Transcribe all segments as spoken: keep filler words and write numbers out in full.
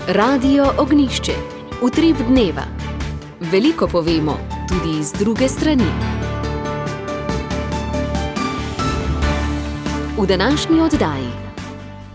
Radio Ognišče, utrip dneva. Veliko povemo, tudi z druge strani. V današnji oddaji.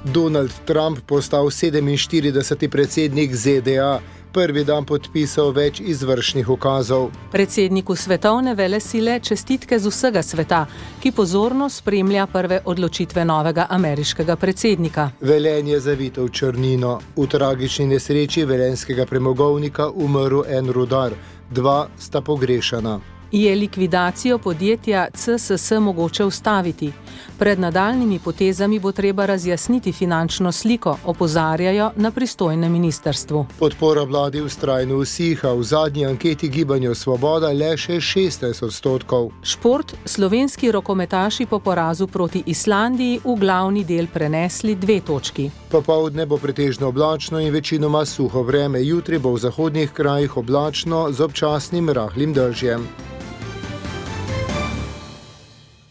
Donald Trump postal sedeminštirideseti predsednik Z D A, prvi dan podpisal več izvršnih ukazov. Predsedniku svetovne velesile čestitke z vsega sveta, ki pozorno spremlja prve odločitve novega ameriškega predsednika. Velenje zavito v črnino. V tragični nesreči velenjskega premogovnika umrl en rudar, dva sta pogrešana. Je likvidacijo podjetja C S S mogoče ustaviti? Pred nadaljnimi potezami bo treba razjasniti finančno sliko, opozarjajo na pristojnem ministrstvu. Podpora vladi vztrajno usiha, v zadnji anketi Gibanja Svoboda le še šestnajst odstotkov. Šport, slovenski rokometaši po porazu proti Islandiji v glavni del prenesli dve točki. Popoldne bo pretežno oblačno in večinoma suho vreme, jutri bo v zahodnih krajih oblačno z občasnim rahlim dežjem.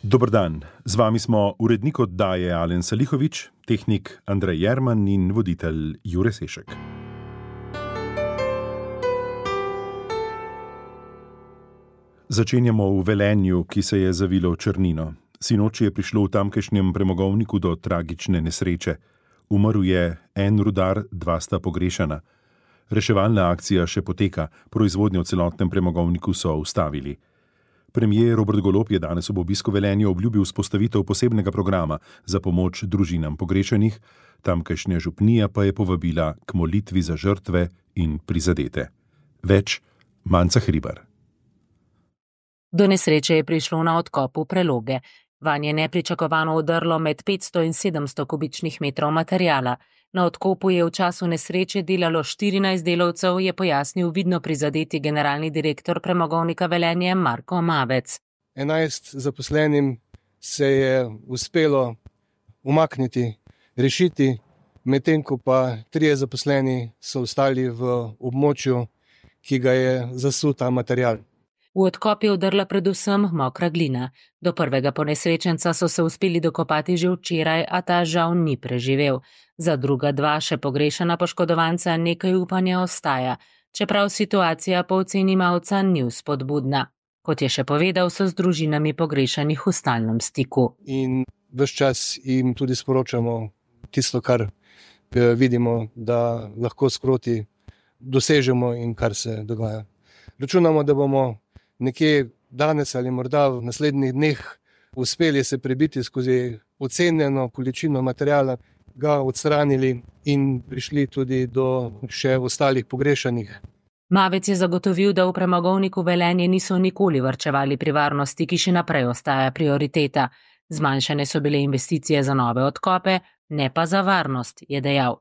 Dober dan, z vami smo urednik oddaje Alen Salihovič, tehnik Andrej Jerman in voditelj Jure Sešek. Začenjamo v Velenju, ki se je zavilo v črnino. Sinoči je prišlo v tamkajšnjem premogovniku do tragične nesreče. Umrl je en rudar, dva sta pogrešana. Reševalna akcija še poteka, proizvodnjo v celotnem premogovniku so ustavili. Premier Robert Golob je danes ob obisku Velenja obljubil vzpostavitev posebnega programa za pomoč družinam pogrešenih, tamkajšnja župnija pa je povabila k molitvi za žrtve in prizadete. Več Manca Hribar. Do nesreče je prišlo na odkopu Preloge. Vanj je nepričakovano vdrlo med petsto in sedemsto kubičnih metrov materijala. Na odkopu je v času nesreče delalo štirinajst delavcev, je pojasnil vidno prizadeti generalni direktor premogovnika Velenje Marko Mavec. enajst zaposlenim se je uspelo umakniti, rešiti, medtem ko pa trije zaposleni so ostali v območju, ki ga je zasul ta material. V odkop je vdrla predvsem mokra glina. Do prvega ponesrečenca so se uspeli dokopati že včeraj, a ta žal ni preživel. Za druga dva še pogrešana poškodovanca nekaj upanja ostaja, čeprav situacija po oceni Mavca ni vzpodbudna. Kot je še povedal, so z družinami pogrešanih v stalnem stiku. In ves čas jim tudi sporočamo tisto, kar vidimo, da lahko sproti dosežemo in kar se dogaja. Računamo, da bomo nekje danes ali morda v naslednjih dneh uspeli se prebiti skozi ocenjeno količino materijala, ga odstranili in prišli tudi do še ostalih pogrešanih. Mavec je zagotovil, da v premogovniku Velenje niso nikoli varčevali pri varnosti, ki še naprej ostaja prioriteta. Zmanjšane so bile investicije za nove odkope, ne pa za varnost, je dejal.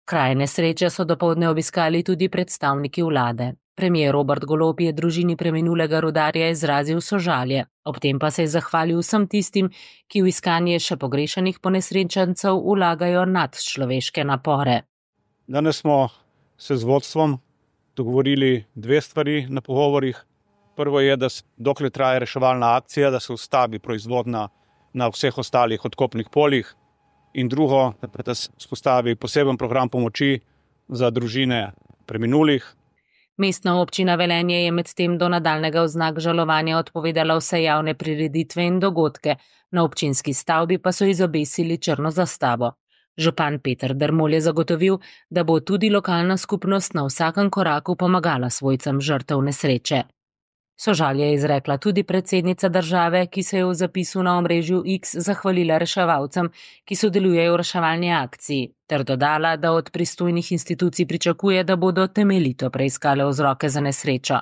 Kraj nesreče so dopoldne obiskali tudi predstavniki vlade. Premier Robert Golob je družini preminulega rudarja izrazil sožalje, ob tem pa se je zahvalil vsem tistim, ki v iskanje še pogrešanih ponesrečencev vlagajo nadčloveške napore. Danes smo se z vodstvom dogovorili dve stvari na pogovorih. Prvo je, da dokler traja reševalna akcija, da se ustavi proizvodnja na vseh ostalih odkopnih poljih. In drugo, da se vzpostavi poseben program pomoči za družine preminulih. Mestna občina Velenje je medtem do nadaljnega vznak žalovanja odpovedala vse javne prireditve in dogodke, na občinski stavbi pa so izobesili črno zastavo. Župan Peter Dermol je zagotovil, da bo tudi lokalna skupnost na vsakem koraku pomagala svojcem žrtev nesreče. Sožalje je izrekla tudi predsednica države, ki se je v zapisu na omrežju X zahvalila reševalcem, ki sodelujejo v reševalni akciji, ter dodala, da od pristojnih institucij pričakuje, da bodo temeljito preiskale vzroke za nesrečo.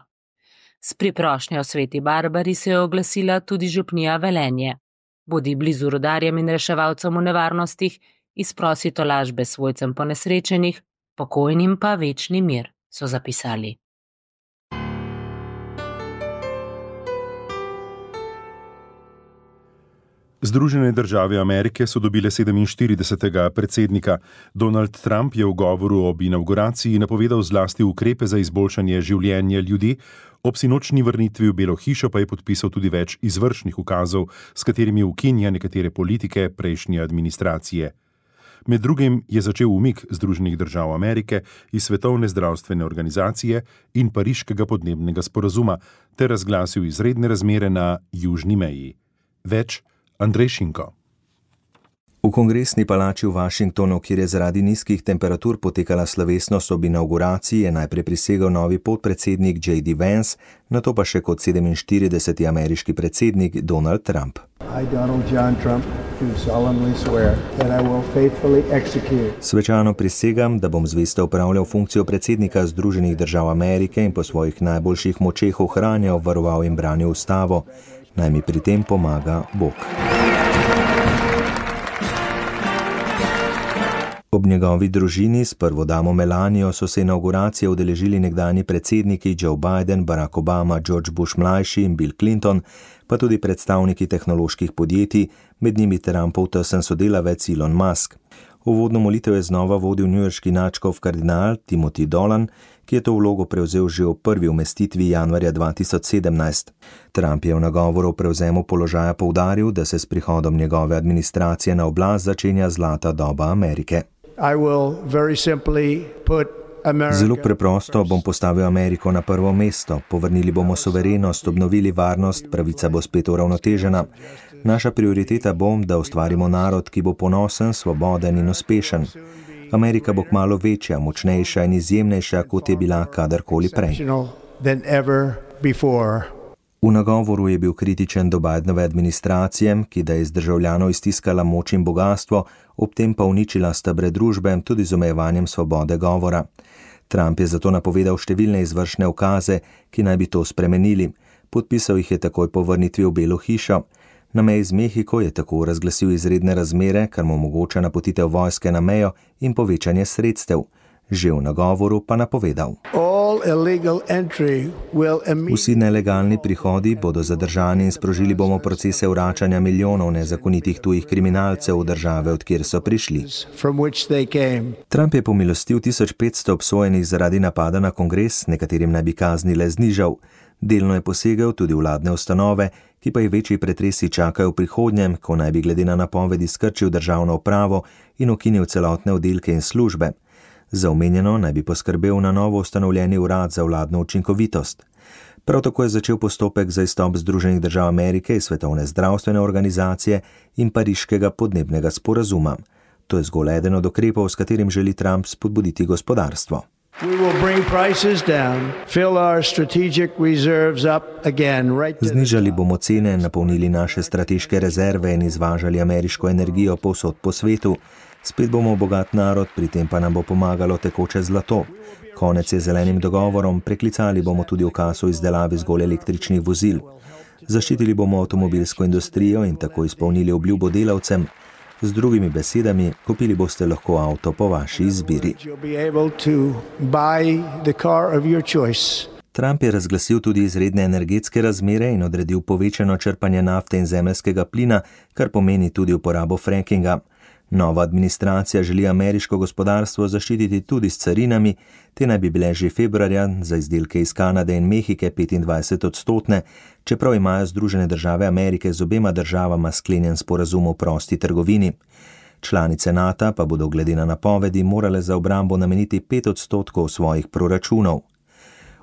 S priprošnjo Sveti Barbari se je oglasila tudi župnija Velenje. Bodi blizu rudarjem in reševalcem v nevarnostih, izprosi tolažbe svojcem ponesrečenih, pokojnim pa večni mir, so zapisali. Združene države Amerike so dobile sedeminštiridesetega predsednika. Donald Trump je v govoru ob inauguraciji napovedal zlasti ukrepe za izboljšanje življenja ljudi, ob sinočni vrnitvi v Belo hišo pa je podpisal tudi več izvršnih ukazov, s katerimi ukinja nekatere politike prejšnje administracije. Med drugim je začel umik Združenih držav Amerike iz Svetovne zdravstvene organizacije in Pariškega podnebnega sporazuma ter razglasil izredne razmere na južni meji. Več Andrej Šinko. V kongresni palači v Washingtonu, kjer je zaradi nizkih temperatur potekala slovesnost ob inauguraciji, je najprej prisegel novi podpredsednik J D Vance, nato pa še kot sedeminštirideseti ameriški predsednik Donald Trump. I, Donald John Trump, do solemnly swear that I will faithfully execute. Svečano prisegam, da bom zvesto opravljal funkcijo predsednika Združenih držav Amerike in po svojih najboljših močeh ohranjal, varoval in branil ustavo. Naj mi pri tem pomaga Bog. Ob njegovi družini s prvo damo Melanijo so se inauguracije udeležili nekdanji predsedniki Joe Biden, Barack Obama, George Bush mlajši in Bill Clinton, pa tudi predstavniki tehnoloških podjetij, med njimi Trumpov tesen sodelavec Elon Musk. Uvodno molitev je znova vodil newyorški nadškof kardinal Timothy Dolan, ki je to vlogo prevzel že v prvi umestitvi januarja dva tisoč sedemnajst. Trump je v nagovoru o prevzemu položaja poudaril, da se s prihodom njegove administracije na oblast začenja zlata doba Amerike. Zelo preprosto bom postavil Ameriko na prvo mesto, povrnili bomo suverenost, obnovili varnost, pravica bo spet uravnotežena. Naša prioriteta bo, da ustvarimo narod, ki bo ponosen, svoboden in uspešen. Amerika bo kmalu večja, močnejša in izjemnejša, kot je bila kadarkoli prej. V nagovoru je bil kritičen do Bidenove administracije, ki da je iz državljanov iztiskala moč in bogastvo, ob tem pa uničila stebre družbe tudi z omejevanjem svobode govora. Trump je zato napovedal številne izvršne ukaze, ki naj bi to spremenili. Podpisal jih je takoj po vrnitvi v Belo hišo. Na meji z Mehiko je tako razglasil izredne razmere, kar mu omogoča napotitev vojske na mejo in povečanje sredstev. Že v nagovoru pa napovedal. Vsi nelegalni prihodi bodo zadržani in sprožili bomo procese vračanja milijonov nezakonitih tujih kriminalcev v države, od kjer so prišli. Trump je pomilostil tisoč petsto obsojenih zaradi napada na kongres, nekaterim naj bi kazni le znižal. Delno je posegel tudi vladne ustanove, ki pa jih večji pretresi čakajo v prihodnjem, ko naj bi glede na napovedi skrčil državno upravo in ukinil celotne oddelke in službe. Za omenjeno naj bi poskrbel na novo ustanovljeni urad za vladno učinkovitost. Prav tako je začel postopek za izstop Združenih držav Amerike iz Svetovne zdravstvene organizacije in Pariškega podnebnega sporazuma. To je zgolj eden od ukrepov, s katerim želi Trump spodbuditi gospodarstvo. Znižali bomo cene, napolnili naše strateške rezerve in izvažali ameriško energijo povsod po svetu. Spet bomo bogat narod, pri tem pa nam bo pomagalo tekoče zlato. Konec je zelenim dogovorom, preklicali bomo tudi ukaz o izdelavi zgolj električnih vozil. Zaščitili bomo avtomobilsko industrijo in tako izpolnili obljubo delavcem. Z drugimi besedami, kupili boste lahko avto po vaši izbiri. Trump je razglasil tudi izredne energetske razmere in odredil povečano črpanje nafte in zemeljskega plina, kar pomeni tudi uporabo frackinga. Nova administracija želi ameriško gospodarstvo zaščititi tudi s carinami, te naj bi bile že februarja za izdelke iz Kanade in Mehike petindvajset odstotne, čeprav imajo Združene države Amerike z obema državama sklenjen sporazum o prosti trgovini. Članice NATO pa bodo glede na napovedi morale za obrambo nameniti pet odstotkov svojih proračunov.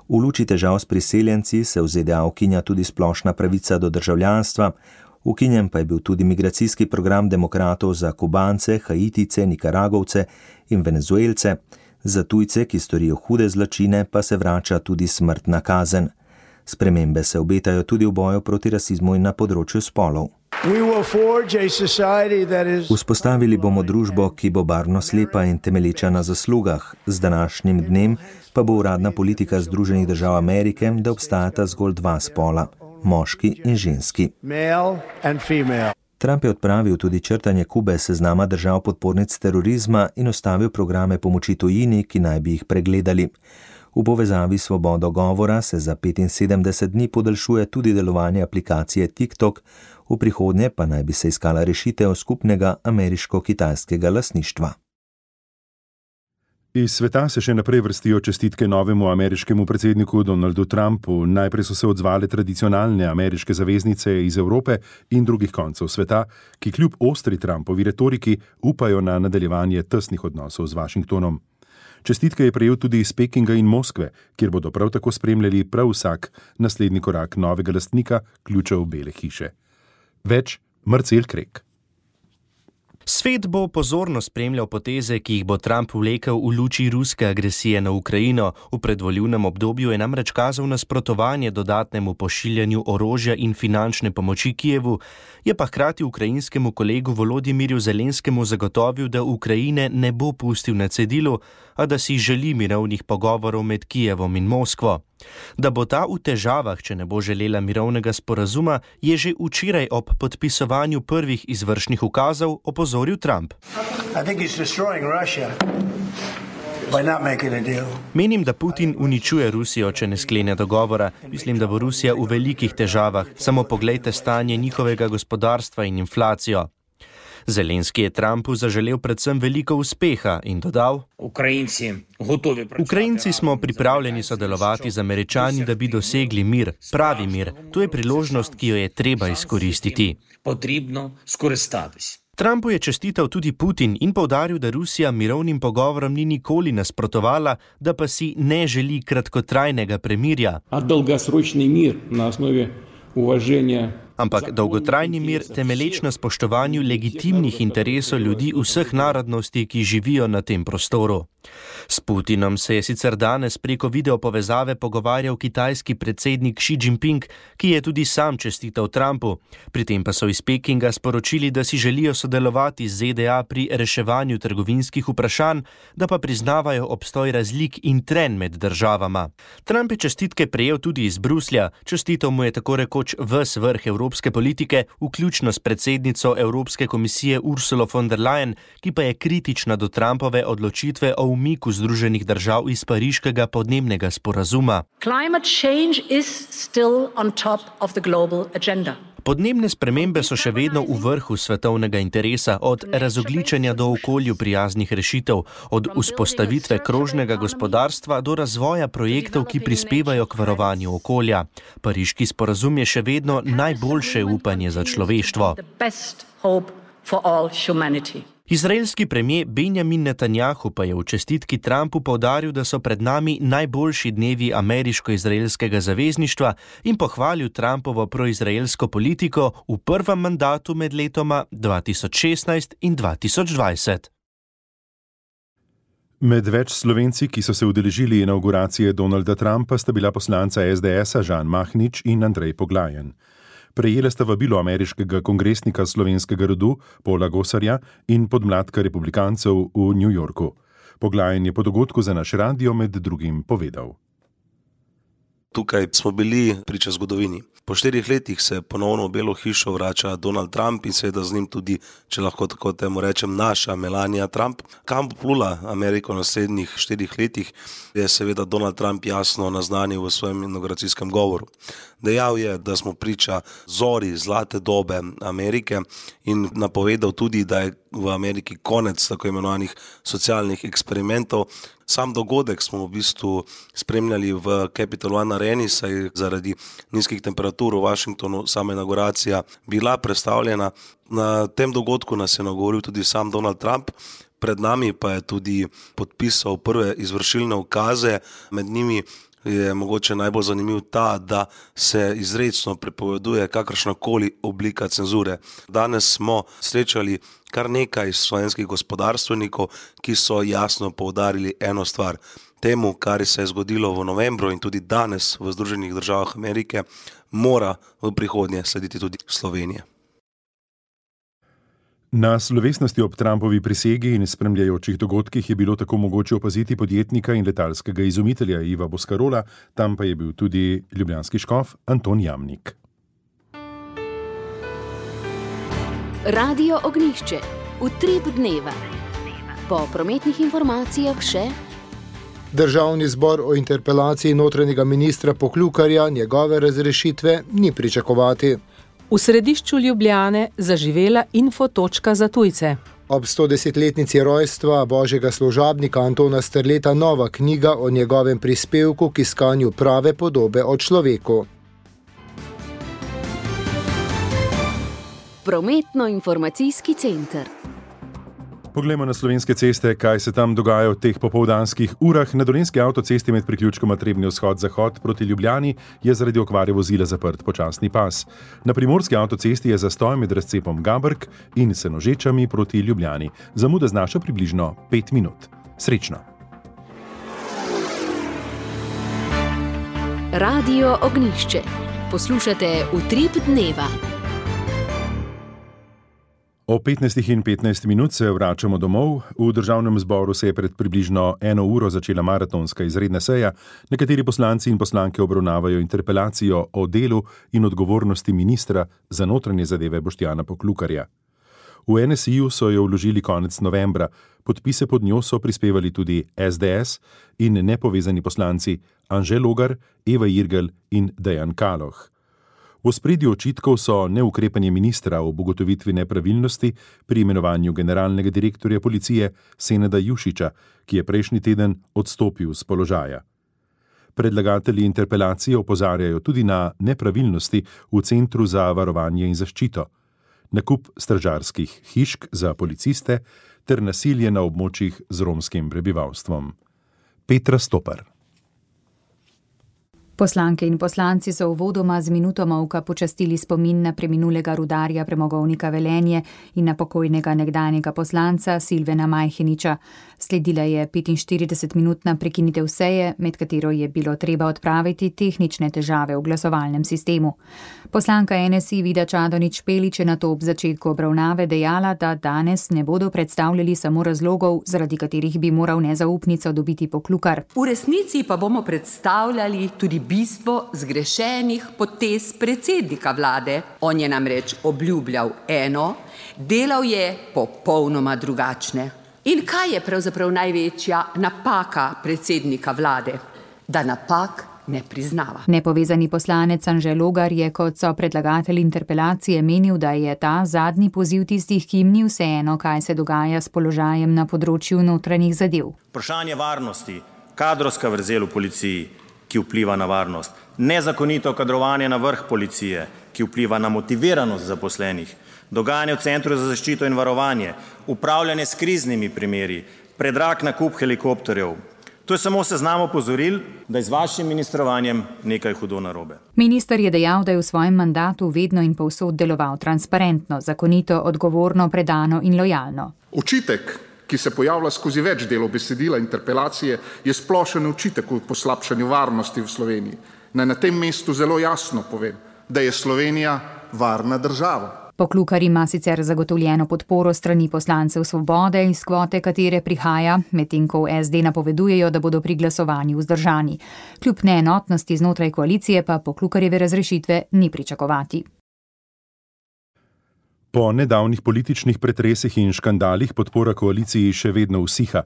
V luči težav s priseljenci se v Z D A ukinja tudi splošna pravica do državljanstva, ukinjen pa je bil tudi migracijski program demokratov za Kubance, Haitice, Nikaragovce in Venezuelce, za tujce, ki storijo hude zločine, pa se vrača tudi smrtna kazen. Spremembe se obetajo tudi v boju proti rasizmu in na področju spolov. Vzpostavili bomo družbo, ki bo barvno slepa in temelječa na zaslugah. Z današnjim dnem pa bo uradna politika Združenih držav Amerike, da obstajata zgolj dva spola, moški in ženski. Trump je odpravil tudi črtanje Kube seznama držav podpornic terorizma in ustavil programe pomoči tujini, ki naj bi jih pregledali. V povezavi s svobodo govora se za petinsedemdeset dni podaljšuje tudi delovanje aplikacije TikTok, v prihodnje pa naj bi se iskala rešitev skupnega ameriško-kitajskega lastništva. Iz sveta se še naprej vrstijo čestitke novemu ameriškemu predsedniku Donaldu Trumpu. Najprej so se odzvale tradicionalne ameriške zaveznice iz Evrope in drugih koncev sveta, ki kljub ostri Trumpovi retoriki upajo na nadaljevanje tesnih odnosov z Washingtonom. Čestitke je prejel tudi iz Pekinga in Moskve, kjer bodo prav tako spremljali prav vsak naslednji korak novega lastnika ključev Bele hiše. Več Marcel Krek. Svet bo pozorno spremljal poteze, ki jih bo Trump vlekel v luči ruske agresije na Ukrajino. V predvolilnem obdobju je namreč kazal nasprotovanje dodatnemu pošiljanju orožja in finančne pomoči Kijevu, je pa hkrati ukrajinskemu kolegu Volodimiru Zelenskemu zagotovil, da Ukrajine ne bo pustil na cedilu, a da si želi mirovnih pogovorov med Kijevom in Moskvo. Da bo ta v težavah, če ne bo želela mirovnega sporazuma, je že včeraj ob podpisovanju prvih izvršnih ukazov opozoril Trump. Menim, da Putin uničuje Rusijo, če ne sklene dogovora. Mislim, da bo Rusija v velikih težavah. Samo poglejte stanje njihovega gospodarstva in inflacijo. Zelenski je Trumpu zaželel predvsem veliko uspeha in dodal: Ukrajinci smo pripravljeni sodelovati z Američani, da bi dosegli mir, pravi mir. To je priložnost, ki jo je treba izkoristiti. Trumpu je čestital tudi Putin in poudaril, da Rusija mirovnim pogovorom ni nikoli nasprotovala, da pa si ne želi kratkotrajnega premirja. A dolgoročni mir na osnovi uvaženja. Ampak dolgotrajni mir temeleč na spoštovanju legitimnih interesov ljudi vseh narodnosti, ki živijo na tem prostoru. S Putinom se je sicer danes preko video povezave pogovarjal kitajski predsednik Xi Jinping, ki je tudi sam čestital Trumpu. Pri tem pa so iz Pekinga sporočili, da si želijo sodelovati z Z D A pri reševanju trgovinskih vprašanj, da pa priznavajo obstoj razlik in trenj med državama. Trump je čestitke prejel tudi iz Bruslja, čestital mu je tako rekoč ves vrh evropske politike, vključno s predsednico Evropske komisije Ursulo von der Leyen, ki pa je kritična do Trumpove odločitve o umiku Združenih držav iz pariškega podnebnega sporazuma. Podnebne spremembe so še vedno v vrhu svetovnega interesa, od razogličenja do okolju prijaznih rešitev, od vzpostavitve krožnega gospodarstva do razvoja projektov, ki prispevajo k varovanju okolja. Pariški sporazum je še vedno najboljše upanje za človeštvo. Izraelski premier Benjamin Netanjahu pa je v čestitki Trumpu poudaril, da so pred nami najboljši dnevi ameriško-izraelskega zavezništva in pohvalil Trumpovo proizraelsko politiko v prvem mandatu med letoma dva tisoč šestnajst in dva tisoč dvajset. Med več Slovenci, ki so se udeležili inavguracije Donalda Trumpa, sta bila poslanca S D S-a Žan Mahnič in Andrej Poglajen. Prejela sta vabilo ameriškega kongresnika slovenskega rodu Paula Gosarja in podmladka republikancev v New Yorku. Poglajen je po dogodku za naš radio med drugim povedal. Tukaj smo bili priča zgodovini. Po štirih letih se ponovno v Belo hišo vrača Donald Trump in seveda z njim tudi, če lahko tako temu rečem, naša Melania Trump. Kam bo plula Ameriko v naslednjih štirih letih, je seveda Donald Trump jasno naznanil v svojem inauguracijskem govoru. Dejal je, da smo priča zori zlate dobe Amerike in napovedal tudi, da je v Ameriki konec tako imenovanih socialnih eksperimentov. Sam dogodek smo v bistvu spremljali v Capital One Areni, saj zaradi nizkih temperatur v Washingtonu sama inauguracija bila predstavljena. Na tem dogodku nas je nagovoril tudi sam Donald Trump, pred nami pa je tudi podpisal prve izvršilne ukaze, med njimi je mogoče najbolj zanimiv ta, da se izrecno prepoveduje kakršnakoli oblika cenzure. Danes smo srečali kar nekaj slovenskih gospodarstvenikov, ki so jasno poudarili eno stvar. Temu, kar se je zgodilo v novembru in tudi danes v Združenih državah Amerike, mora v prihodnje slediti tudi Slovenija. Na slovesnosti ob Trumpovi prisegi in spremljajočih dogodkih je bilo tako mogoče opaziti podjetnika in letalskega izumitelja Iva Boscarola, tam pa je bil tudi ljubljanski škof Anton Jamnik. Radio Ognjišče, utrip dneva. Po prometnih informacijah še Državni zbor o interpelaciji notranjega ministra Poklukarja njegove razrešitve ni pričakovati. V središču Ljubljane zaživela infotočka za tujce. Ob stodesetletnici rojstva božjega služabnika Antona Strleta nova knjiga o njegovem prispevku k iskanju prave podobe o človeku. Prometno-informacijski center. Poglejmo na slovenske ceste, kaj se tam dogaja v teh popoldanskih urah. Na dolenjski avtocesti med priključkoma Trebnji vzhod-zahod proti Ljubljani je zaradi okvare vozila zaprt počasni pas. Na primorski avtocesti je zastoj med razcepom Gabrk in Senožečami proti Ljubljani. Zamuda znaša približno pet minut. Srečno! Radio Ognjišče. Poslušate Utrip dneva. O petnajstih in petnajst minut se vračamo domov. V državnem zboru se je pred približno eno uro začela maratonska izredna seja. Nekateri poslanci in poslanke obravnavajo interpelacijo o delu in odgovornosti ministra za notranje zadeve Boštjana Poklukarja. V en es i-ju so jo vložili konec novembra. Podpise pod njo so prispevali tudi es de es in nepovezani poslanci Anže Logar, Eva Irgl in Dejan Kaloh. V ospredju očitkov so neukrepanje ministra ob ugotovitvi nepravilnosti pri imenovanju generalnega direktorja policije Senada Jušića, ki je prejšnji teden odstopil z položaja. Predlagatelji interpelacije opozarjajo tudi na nepravilnosti v Centru za varovanje in zaščito, nakup stražarskih hišk za policiste ter nasilje na območjih z romskim prebivalstvom. Petra Stopar. Poslanke in poslanci so uvodoma z minuto molka počastili spomin na preminulega rudarja premogovnika Velenje in na pokojnega nekdanjega poslanca Silvena Majheniča. Sledila je petinštiridesetminutna prekinitev seje, med katero je bilo treba odpraviti tehnične težave v glasovalnem sistemu. Poslanka en es i Vida Čadonič Špelič je nato ob začetku obravnave dejala, da danes ne bodo predstavljali samo razlogov, zaradi katerih bi moral nezaupnico dobiti Poklukar. V resnici pa bomo predstavljali tudi bistvo zgrešenih potez predsednika vlade. On je namreč obljubljal eno, delal je popolnoma drugačne. In kaj je pravzaprav največja napaka predsednika vlade? Da napak ne priznava. Nepovezani poslanec Anže Logar je kot so predlagatelj interpelacije menil, da je ta zadnji poziv tistih, ki jim ni vseeno, kaj se dogaja s položajem na področju notranjih zadev. Vprašanje varnosti, kadrovska vrzel v policiji, ki vpliva na varnost, nezakonito kadrovanje na vrh policije, ki vpliva na motiviranost zaposlenih, dogajanje v Centru za zaščito in varovanje, upravljanje s kriznimi primeri, predrag nakup helikopterjev. To je samo seznam opozoril, da je z vašim ministrovanjem nekaj hudo narobe. Minister je dejal, da je v svojem mandatu vedno in povsod deloval transparentno, zakonito, odgovorno, predano in lojalno. Očitek, ki se pojavlja skozi več delov besedila interpelacije, je splošen očitek o poslabšanju varnosti v Sloveniji. Naj na tem mestu zelo jasno povem, da je Slovenija varna država. Poklukar ima sicer zagotovljeno podporo strani poslancev Svobode, iz kvote katere prihaja, medtem ko v es de napovedujejo, da bodo pri glasovanju vzdržani. Kljub neenotnosti znotraj koalicije pa Poklukarjeve razrešitve ni pričakovati. Po nedavnih političnih pretresih in škandalih podpora koaliciji še vedno usiha.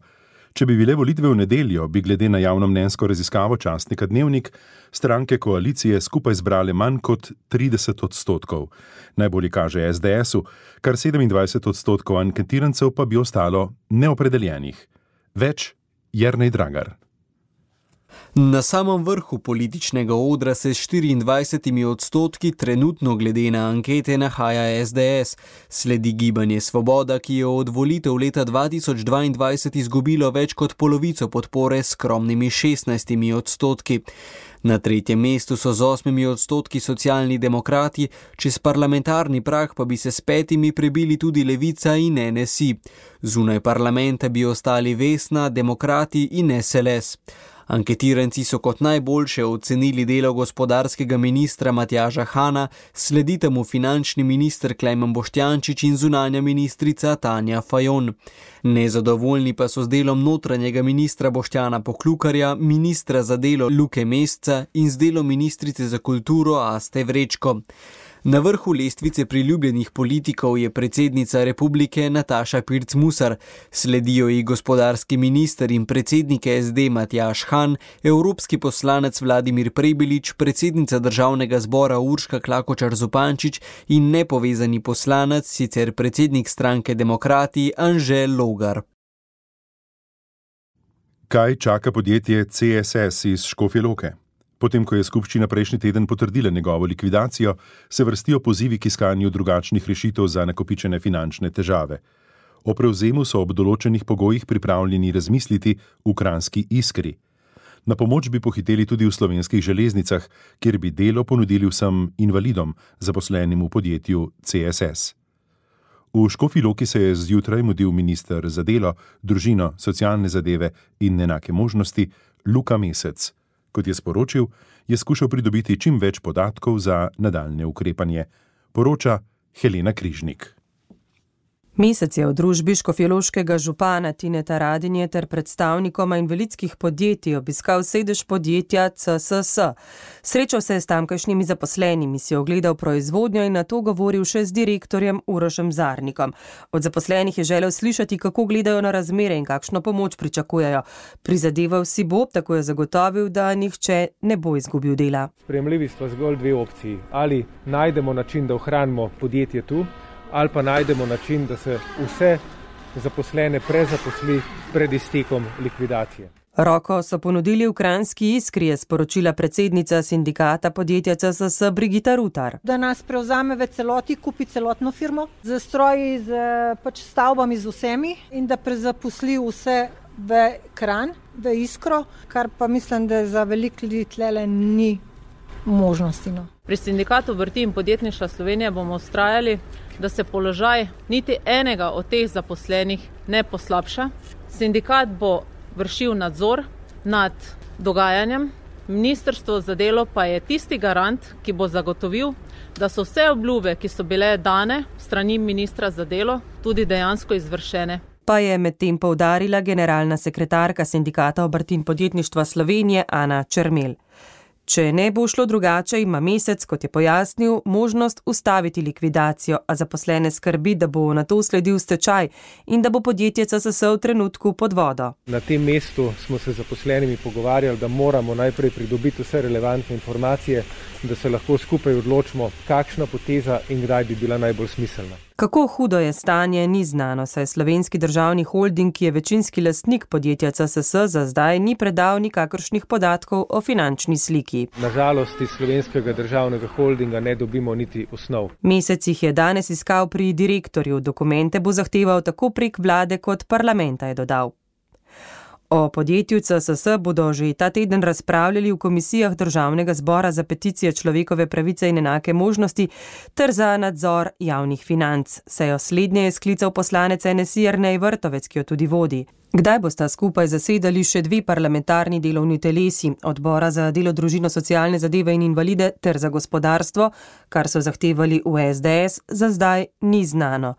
Če bi bile volitve v nedeljo, bi glede na javnomnenjsko raziskavo časnika Dnevnik stranke koalicije skupaj zbrale manj kot trideset odstotkov. Najbolj kaže es de esu, kar sedemindvajset odstotkov anketirancev pa bi ostalo neopredeljenih. Več Jernej Dragar. Na samem vrhu političnega odra se s štiriindvajsetimi odstotki trenutno glede na ankete nahaja es de es. Sledi Gibanje Svoboda, ki je od volitev leta dva tisoč dvaindvajset izgubilo več kot polovico podpore s skromnimi šestnajstimi odstotki. Na tretjem mestu so z osmimi odstotki Socialni demokrati, čez parlamentarni prag pa bi se s petimi prebili tudi Levica in en es i. Zunaj parlamenta bi ostali Vesna, Demokrati in es el es. Anketiranci so kot najboljše ocenili delo gospodarskega ministra Matjaža Hana, sledita mu finančni minister Klemen Boštjančič in zunanja ministrica Tanja Fajon. Nezadovoljni pa so z delom notranjega ministra Boštjana Poklukarja, ministra za delo Luke Mesca in z delom ministrice za kulturo Aste Vrečko. Na vrhu lestvice priljubljenih politikov je predsednica republike Nataša Pirc Musar, sledijo ji gospodarski minister in predsednik S D Matjaž Han, evropski poslanec Vladimir Prebilič, predsednica državnega zbora Urška Klakočar Zupančič in nepovezani poslanec, sicer predsednik stranke Demokrati Anže Logar. Kaj čaka podjetje C S S iz Škofje Loke? Potem, ko je skupščina prejšnji teden potrdila njegovo likvidacijo, se vrstijo pozivi k iskanju drugačnih rešitev za nakopičene finančne težave. O prevzemu so ob določenih pogojih pripravljeni razmisliti v Kranjski Iskri. Na pomoč bi pohiteli tudi v Slovenskih železnicah, kjer bi delo ponudili vsem invalidom, zaposlenim v podjetju C S S. V Škofji Loki se je zjutraj mudil minister za delo, družino, socialne zadeve in enake možnosti Luka Mesec. Kot je sporočil, je skušal pridobiti čim več podatkov za nadaljnje ukrepanje, poroča Helena Križnik. Mesec je v družbi škofjeloškega župana Tineta Radinje ter predstavnikoma invalidskih podjetij obiskal sedež podjetja C S S. Srečal se je s tamkajšnjimi zaposlenimi, si ogledal proizvodnjo in nato govoril še z direktorjem Urošem Zarnikom. Od zaposlenih je želel slišati, kako gledajo na razmere in kakšno pomoč pričakujejo. Prizadeval si bo, tako je zagotovil, da nihče ne bo izgubil dela. Sprejemljivi sta zgolj dve opciji. Ali najdemo način, da ohranimo podjetje tu, ali pa najdemo način, da se vse zaposlene prezaposli pred iztekom likvidacije. Roko so ponudili v Kranjski Iskri, je sporočila predsednica sindikata podjetja C S S Brigita Rutar. Da nas prevzame v celoti, kupi celotno firmo, z stroji, z pač stavbami, z vsemi in da prezaposli vse v Kranj, v Iskro, kar pa mislim, da za veliko ljudi tlele ni možnosti. No. Pri sindikatu obrti in podjetništva Slovenije bomo vztrajali, da se položaj niti enega od teh zaposlenih ne poslabša. Sindikat bo vršil nadzor nad dogajanjem, ministrstvo za delo pa je tisti garant, ki bo zagotovil, da so vse obljube, ki so bile dane strani ministra za delo, tudi dejansko izvršene. Pa je medtem poudarila generalna sekretarka sindikata obrti in podjetništva Slovenije Ana Čermelj. Če ne bo šlo drugače, ima Mesec, kot je pojasnil, možnost ustaviti likvidacijo, a zaposlene skrbi, da bo na to sledil stečaj in da bo podjetje C S S v trenutku pod vodo. Na tem mestu smo se z zaposlenimi pogovarjali, da moramo najprej pridobiti vse relevantne informacije, da se lahko skupaj odločimo, kakšna poteza in kdaj bi bila najbolj smiselna. Kako hudo je stanje, ni znano, saj Slovenski državni holding, ki je večinski lastnik podjetja C S S, za zdaj ni predal nikakršnih podatkov o finančni sliki. Nažalost, iz Slovenskega državnega holdinga ne dobimo niti osnov. Mesec jih je danes iskal pri direktorju, dokumente bo zahteval tako prek vlade kot parlamenta, je dodal. O podjetju C S S bodo že ta teden razpravljali v komisijah Državnega zbora za peticije, človekove pravice in enake možnosti ter za nadzor javnih financ. Sejo slednje je sklical poslanec N S I Jernej Vrtovec, ki jo tudi vodi. Kdaj bosta skupaj zasedali še dve parlamentarni delovni telesi, odbora za delo, družino, socialne zadeve in invalide ter za gospodarstvo, kar so zahtevali v S D S, za zdaj ni znano.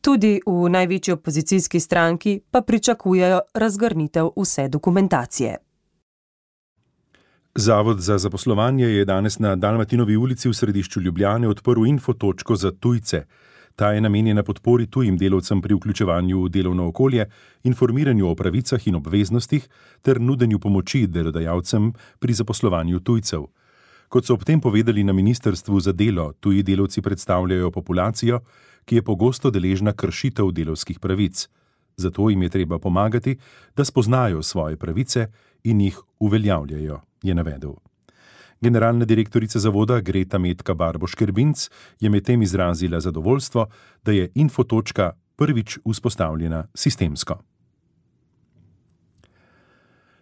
Tudi v največji opozicijski stranki pa pričakujejo razgrnitev vse dokumentacije. Zavod za zaposlovanje je danes na Dalmatinovi ulici v središču Ljubljane odprl infotočko za tujce. Ta je namenjena podpori tujim delavcem pri vključevanju v delovno okolje, informiranju o pravicah in obveznostih ter nudenju pomoči delodajalcem pri zaposlovanju tujcev. Kot so ob tem povedali na Ministrstvu za delo, tuji delavci predstavljajo populacijo, ki je pogosto deležna kršitev delavskih pravic. Zato jim je treba pomagati, da spoznajo svoje pravice in jih uveljavljajo, je navedel. Generalna direktorica zavoda Greta Metka Barbo-Škerbinc je medtem izrazila zadovoljstvo, da je infotočka prvič vzpostavljena sistemsko.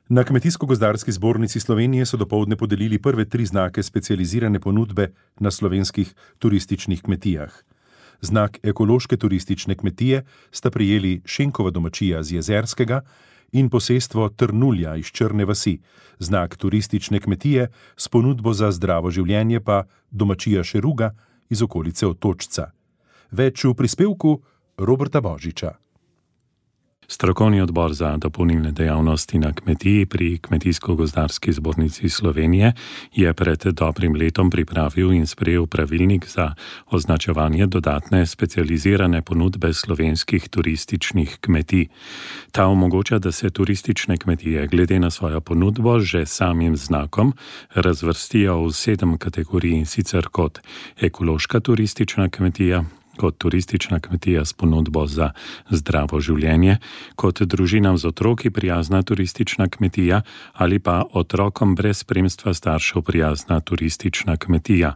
Na Kmetijsko-gozdarski zbornici Slovenije so dopoldne podelili prve tri znake specializirane ponudbe na slovenskih turističnih kmetijah. Znak ekološke turistične kmetije sta prijeli Šenkova domačija z Jezerskega in posestvo Trnulja iz Črne vasi, znak turistične kmetije s ponudbo za zdravo življenje pa domačija Šeruga iz okolice Otočca. Več v prispevku Roberta Božiča. Strokovni odbor za dopolnilne dejavnosti na kmetiji pri Kmetijsko-gozdarski zbornici Slovenije je pred dobrim letom pripravil in sprejel pravilnik za označevanje dodatne specializirane ponudbe slovenskih turističnih kmetij. Ta omogoča, da se turistične kmetije glede na svojo ponudbo že samim znakom razvrstijo v sedem kategorij, in sicer kot ekološka turistična kmetija, kot turistična kmetija s ponudbo za zdravo življenje, kot družinam z otroki prijazna turistična kmetija ali pa otrokom brez spremstva staršev prijazna turistična kmetija.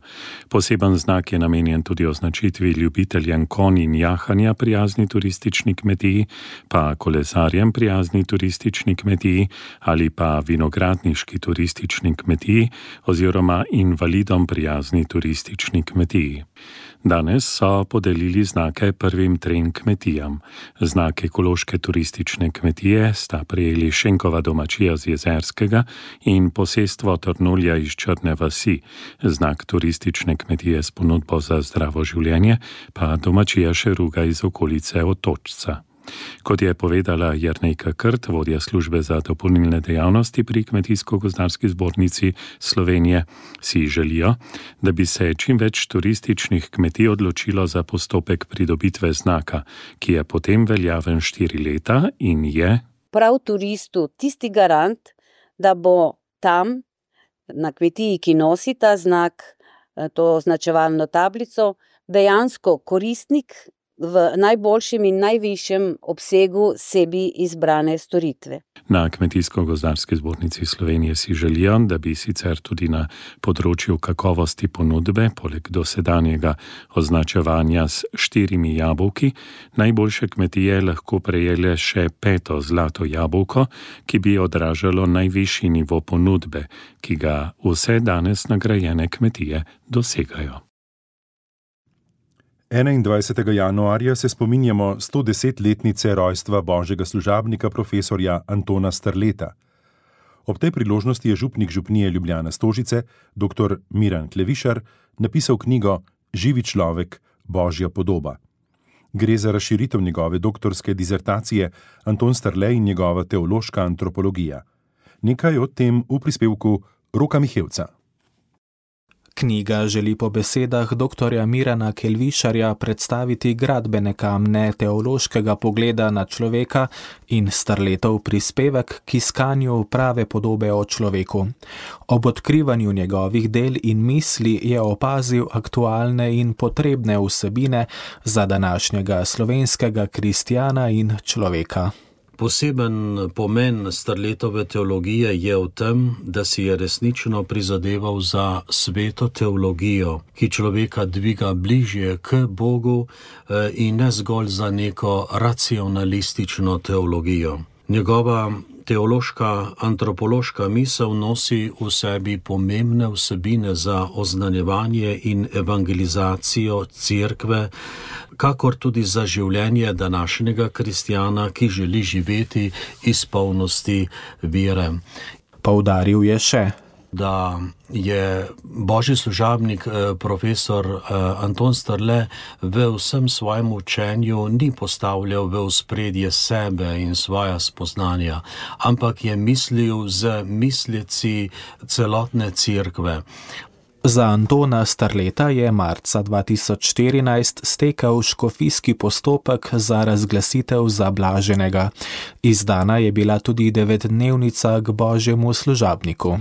Poseben znak je namenjen tudi označitvi ljubiteljem konj in jahanja prijazni turistični kmetiji, pa kolesarjem prijazni turistični kmetiji ali pa vinogradniški turistični kmetiji oziroma invalidom prijazni turistični kmetiji. Danes so podelili znake prvim trem kmetijam. Znak ekološke turistične kmetije sta prejeli Šenkova domačija z Jezerskega in posestvo Trnulja iz Črne vasi. Znak turistične kmetije s ponudbo za zdravo življenje pa domačija Šeruga iz okolice Otočca. Kot je povedala Jernejka Krt, vodja službe za dopolnilne dejavnosti pri Kmetijsko-gozdarski zbornici Slovenije, si želijo, da bi se čim več turističnih kmetij odločilo za postopek pridobitve znaka, ki je potem veljaven štiri leta in je prav turistu tisti garant, da bo tam na kmetiji, ki nosi ta znak, to označevalno tablico, dejansko koristnik v najboljšem in najvišjem obsegu sebi izbrane storitve. Na Kmetijsko-gozdarski zbornici Slovenije si želijo, da bi sicer tudi na področju kakovosti ponudbe, poleg dosedanjega označevanja s štirimi jabolki, najboljše kmetije lahko prejele še peto zlato jabolko, ki bi odražalo najvišji nivo ponudbe, ki ga vse danes nagrajene kmetije dosegajo. enaindvajsetega januarja se spominjamo stodesetletnice rojstva božjega služabnika profesorja Antona Strleta. Ob tej priložnosti je župnik župnije Ljubljana Stožice, dr. Miran Klevišar, napisal knjigo Živi človek, božja podoba. Gre za razširitev njegove doktorske dizertacije Anton Strle in njegova teološka antropologija. Nekaj o tem v prispevku Roka Mihevca. Knjiga želi po besedah doktorja Mirana Kelvišarja predstaviti gradbene kamne teološkega pogleda na človeka in Strletov prispevek k iskanju prave podobe o človeku. Ob odkrivanju njegovih del in misli je opazil aktualne in potrebne vsebine za današnjega slovenskega kristjana in človeka. Poseben pomen Strletove teologije je v tem, da si je resnično prizadeval za sveto teologijo, ki človeka dviga bližje k Bogu in ne zgolj za neko racionalistično teologijo. Njegova teološka antropološka misel nosi v sebi pomembne vsebine za oznanjevanje in evangelizacijo cerkve, kakor tudi za življenje današnjega kristjana, ki želi živeti iz polnosti vere. Poudaril je še, da je božji služabnik profesor Anton Strle v vsem svojem učenju ni postavljal v ospredje sebe in svoja spoznanja, ampak je mislil z misleci celotne cerkve. Za Antona Strleta je marca dva tisoč štirinajst stekel škofijski postopek za razglasitev za blaženega. Izdana je bila tudi devetdnevnica k božjemu služabniku.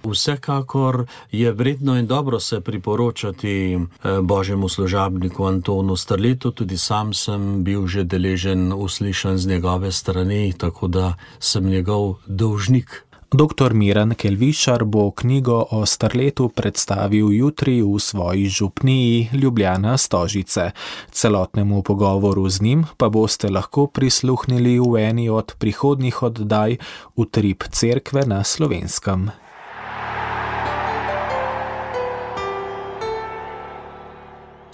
Vsekakor je vredno in dobro se priporočati božjemu služabniku Antonu Strletu, tudi sam sem bil že deležen uslišan z njegove strani, tako da sem njegov dolžnik. doktor Miran Kelvišar bo knjigo o Strletu predstavil jutri v svoji župniji Ljubljana Stožice. Celotnemu pogovoru z njim pa boste lahko prisluhnili v eni od prihodnjih oddaj Utrip cerkve na Slovenskem.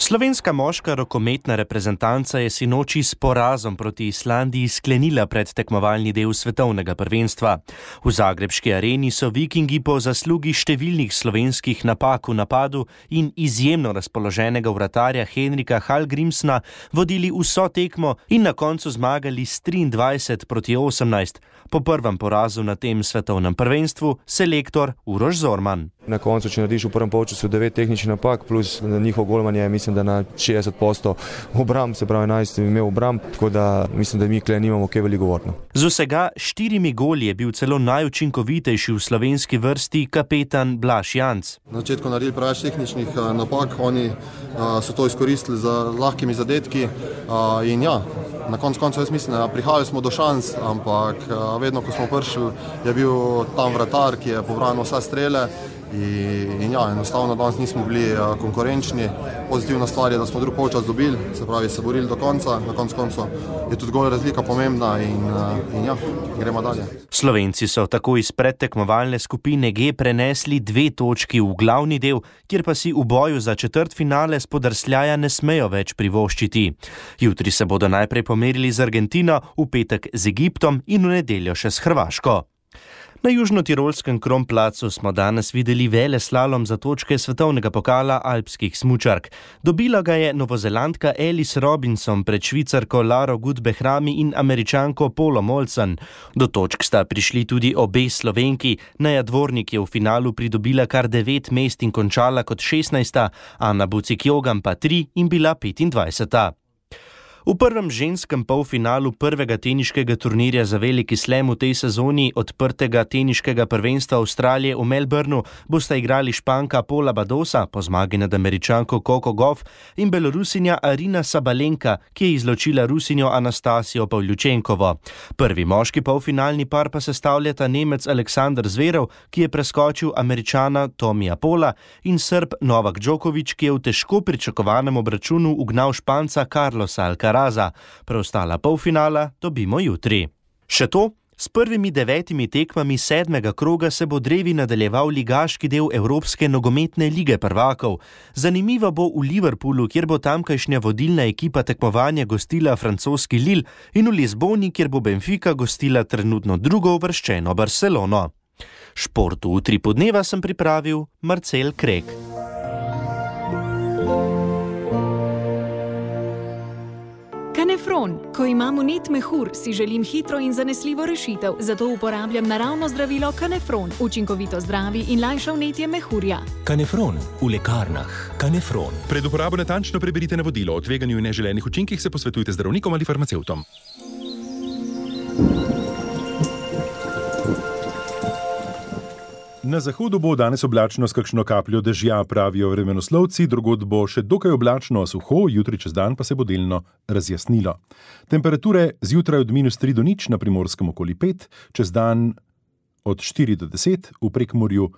Slovenska moška rokometna reprezentanca je sinoči s porazom proti Islandiji sklenila predtekmovalni del svetovnega prvenstva. V zagrebški areni so Vikingi po zaslugi številnih slovenskih napak v napadu in izjemno razpoloženega vratarja Henrika Hallgrímsna vodili vso tekmo in na koncu zmagali s triindvajset proti osemnajst. Po prvem porazu na tem svetovnem prvenstvu selektor Uroš Zorman. Na koncu, če narediš v prvem polčasu devet tehničnih napak, plus njihov golman je, mislim, da na šestdeset odstotkov obramb, se pravi enajst imel obramb, tako da mislim, da mi kle nimamo kaj veliko govorno. Z vsega štirimi goli je bil celo najučinkovitejši v slovenski vrsti kapetan Blaž Janc. Na začetku naredili preveč tehničnih napak, oni a, so to izkoristili za lahkimi zadetki a, in ja, na koncu koncu jaz mislim, da prihajali smo do šans, ampak a, vedno, ko smo prišli, je bil tam vratar, ki je pobranil vse strele. In, in ja, enostavno danes nismo bili uh, konkurenčni. Pozitivna stvar je, da smo drug polčas dobili, se pravi se borili do konca, na koncu koncu je tudi gol razlika pomembna in, uh, in ja, gremo dalje. Slovenci so tako iz predtekmovalne skupine G prenesli dve točki v glavni del, kjer pa si v boju za četrtfinale spodrsljaja ne smejo več privoščiti. Jutri se bodo najprej pomerili z Argentino, v petek z Egiptom in v nedeljo še s Hrvaško. Na južnotirolskem Kronplatzu smo danes videli veleslalom za točke svetovnega pokala alpskih smučark. Dobila ga je novozelandka Alice Robinson pred švicarko Laro Gut-Behrami in Američanko Polo Molson. Do točk sta prišli tudi obe Slovenki. Naja Dvornik je v finalu pridobila kar devet mest in končala kot šestnajsta, Ana Bucik-Jogan pa tri in bila petindvajseta. V prvem ženskem polfinalu prvega teniškega turnirja za veliki slam v tej sezoni odprtega teniškega prvenstva Avstralije v Melbourneu bosta igrali Španka Paula Badosa po zmagi nad Američanko Coco Gauff in Belorusinja Arina Sabalenka, ki je izločila Rusinjo Anastasijo Pavljučenkovo. Prvi moški polfinalni par pa sestavljata Nemec Aleksander Zverev, ki je preskočil Američana Tomija Pola, in Srb Novak Djokovic, ki je v težko pričakovanem obračunu ugnal Španca Carlosa Alcaraza. Preostala polfinala dobimo jutri. Še to, s prvimi devetimi tekmami sedmega kroga se bo drevi nadaljeval ligaški del Evropske nogometne lige prvakov. Zanimivo bo v Liverpoolu, kjer bo tamkajšnja vodilna ekipa tekmovanja gostila francoski Lille, in v Lizboni, kjer bo Benfica gostila trenutno drugo uvrščeno Barcelono. Športu v Utripu dneva sem pripravil Marcel Krek. Kanefron. Ko imam vnet mehur, si želim hitro in zanesljivo rešitev, zato uporabljam naravno zdravilo Kanefron. Učinkovito zdravi in lajša vnetje mehurja. Kanefron v lekarnah. Kanefron. Pred uporabo natančno preberite navodilo. O tveganju in neželenih učinkih se posvetujte z zdravnikom ali farmacevtom. Na zahodu bo danes oblačno s kakšno kapljo dežja, pravijo vremenoslovci, drugod bo še dokaj oblačno, suho, jutri čez dan pa se bo delno razjasnilo. Temperature zjutraj od minus tri do nič, na Primorskem okoli pet, čez dan od štiri do deset, v Prekmurju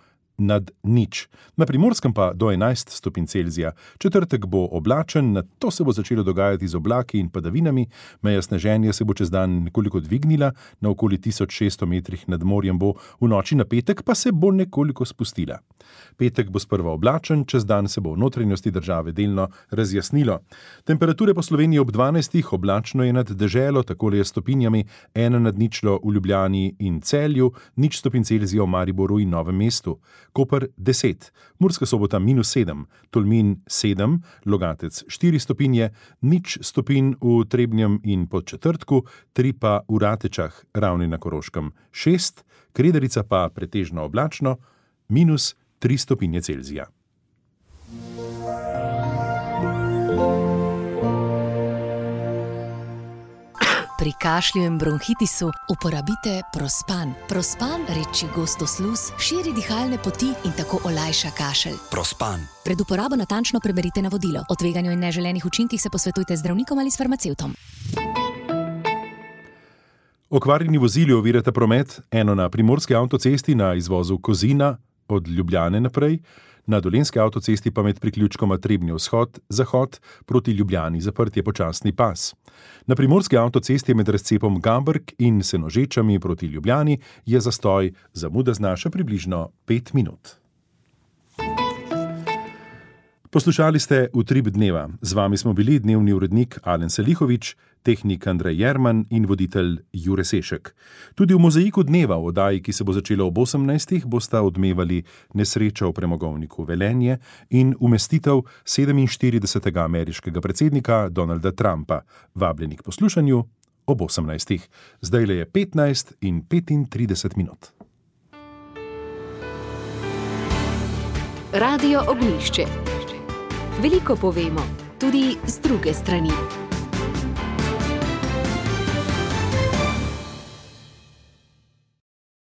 nad nič. Na Primorskem pa do enajst stopinj Celzija. Četrtek bo oblačen, nato se bo začelo dogajati z oblaki in padavinami, meja sneženja se bo čez dan nekoliko dvignila, na okoli tisoč šeststo metrih nad morjem bo, v noči na petek pa se bo nekoliko spustila. Petek bo sprva oblačen, čez dan se bo v notranjosti države delno razjasnilo. Temperature po Sloveniji ob dvanajstih, oblačno je nad deželo, takole je stopinjami, ena nad ničlo v Ljubljani in Celju, nič stopinj Celzija v Mariboru in Novem mestu. Koper deset, Murska Sobota minus sedem, Tolmin sedem, Logatec štiri stopinje, nič stopinj v Trebnjem in Podčetrtku, tri pa v Ratečah, Ravni na Koroškem šest, Krederica pa pretežno oblačno, minus tri stopinje Celzija. Pri kašlju in bronhitisu uporabite Prospan. Prospan reči gosto sluz, širi dihalne poti in tako olajša kašelj. Prospan. Pred uporabo natančno preberite navodilo. O tveganju in neželenih učinkih se posvetujte z zdravnikom ali s farmacevtom. Okvarjeni vozili ovirata promet, eno na primorski avtocesti na izvozu Kozina od Ljubljane naprej, na dolenski avtocesti pa med priključkoma Trebnje vzhod-zahod proti Ljubljani zaprt je počasni pas. Na primorski avtocesti med razcepom Gambrk in Senožečami proti Ljubljani je zastoj, zamuda znaša približno pet minut. Poslušali ste Utrip dneva. Z vami smo bili dnevni urednik Alen Selihovič, tehnik Andrej Jerman in voditelj Jure Sešek. Tudi v Mozaiku dneva, v oddaji, ki se bo začela ob osemnajstih, bosta odmevali nesreča v premogovniku Velenje in umestitev sedeminštiridesetega ameriškega predsednika Donalda Trumpa. Vabljeni k poslušanju ob osemnajstih. Zdajle je petnajst in petintrideset minut. Radio Ognjišče. Veliko povemo, tudi z druge strani.